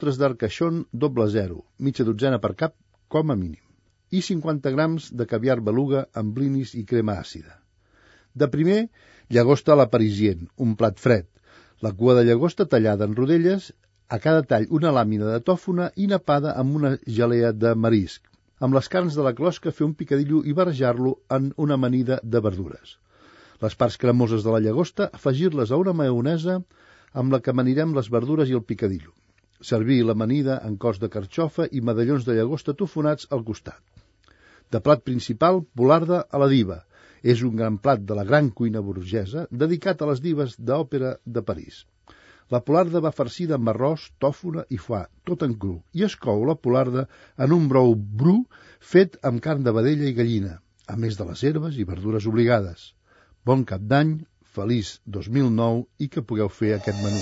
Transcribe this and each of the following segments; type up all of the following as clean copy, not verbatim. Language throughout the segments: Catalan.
ostres d'Arcachon doble 0, mitja dotzena per cap com a mínim, i 50 grams de caviar beluga amb blinis i crema àcida. De primer, llagosta a la parisien, un plat fred. La cua de llagosta tallada en rodelles, a cada tall una làmina de tòfona i napada amb una gelea de marisc. Amb les carns de la closca fer un picadillo i barrejar-lo en una amanida de verdures. Les parts cremoses de la llagosta, afegir-les a una maionesa amb la que amanirem les verdures i el picadillo. Servir l'amanida en cos de carxofa i medallons de llagosta tofonats al costat. De plat principal, polarda a la diva. És un gran plat de la gran cuina burgesa dedicat a les dives d'òpera de París. La polarda va farcida amb arròs, tòfona i foie, tot en cru, i es cou la polarda en un brou bru fet amb carn de vedella i gallina, a més de les herbes i verdures obligades. Bon cap d'any, feliç 2009 i que pugueu fer aquest menú.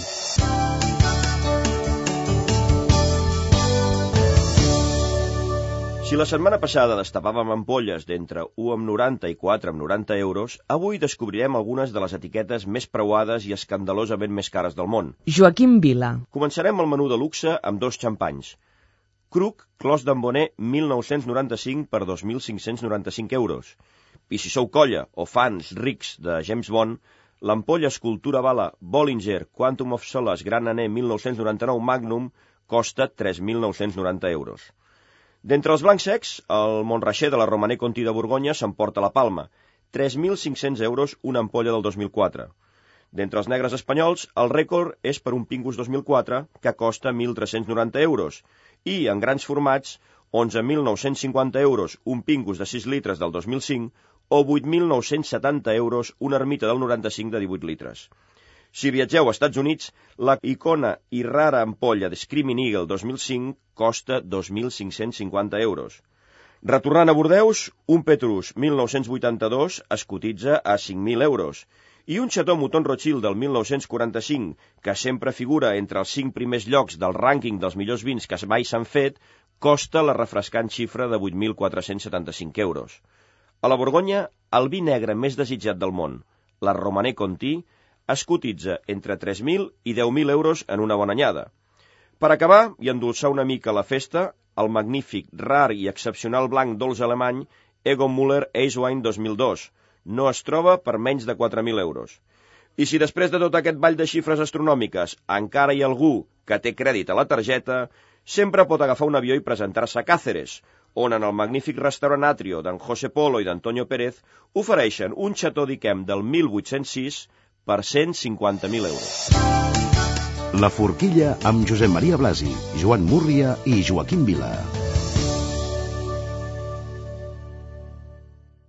Si la setmana passada destapàvem ampolles d'entre 1,90 i 4,90 euros, avui descobrirem algunes de les etiquetes més preuades i escandalosament més cares del món. Joaquim Vila. Començarem el menú de luxe amb 2 xampanys. Krug Clos d'Ambonnet 1995 per 2.595 euros. I si sou colla o fans rics de James Bond, l'ampolla escultura bala Bollinger Quantum of Solace Gran Anè 1999 Magnum costa 3.990 euros. D'entre els blancs secs, el Montrachet de la Romanée Conti de Borgonya s'emporta la palma, 3.500 euros una ampolla del 2004. D'entre els negres espanyols, el rècord és per un Pingus 2004, que costa 1.390 euros, i en grans formats, 11.950 euros un Pingus de 6 litres del 2005 o 8.970 euros una ermita del 95 de 18 litres. Si viatgeu als Estats Units, la icona i rara ampolla de Screaming Eagle 2005 costa 2.550 euros. Retornant a Bordeus, un Petrus 1982 es cotitza a 5.000 euros i un Chateau Mouton Rothschild del 1945, que sempre figura entre els 5 primers llocs del rànquing dels millors vins que mai s'han fet, costa la refrescant xifra de 8.475 euros. A la Borgonya, el vi negre més desitjat del món, la Romanée Conti, es cotitza entre 3.000 i 10.000 euros en una bona anyada. Per acabar i endolçar una mica la festa, el magnífic, rar i excepcional blanc dolç alemany Egon Müller Ace Wine 2002 no es troba per menys de 4.000 euros. I si després de tot aquest ball de xifres astronòmiques encara hi ha algú que té crèdit a la targeta, sempre pot agafar un avió i presentar-se a Càceres, on en el magnífic restaurant Atrio d'en José Polo i d'Antonio Pérez ofereixen un Chateau d'Yquem del 1806 per 150.000 euros. La Forquilla amb Josep Maria Blasi, Joan Múrria i Joaquim Vila.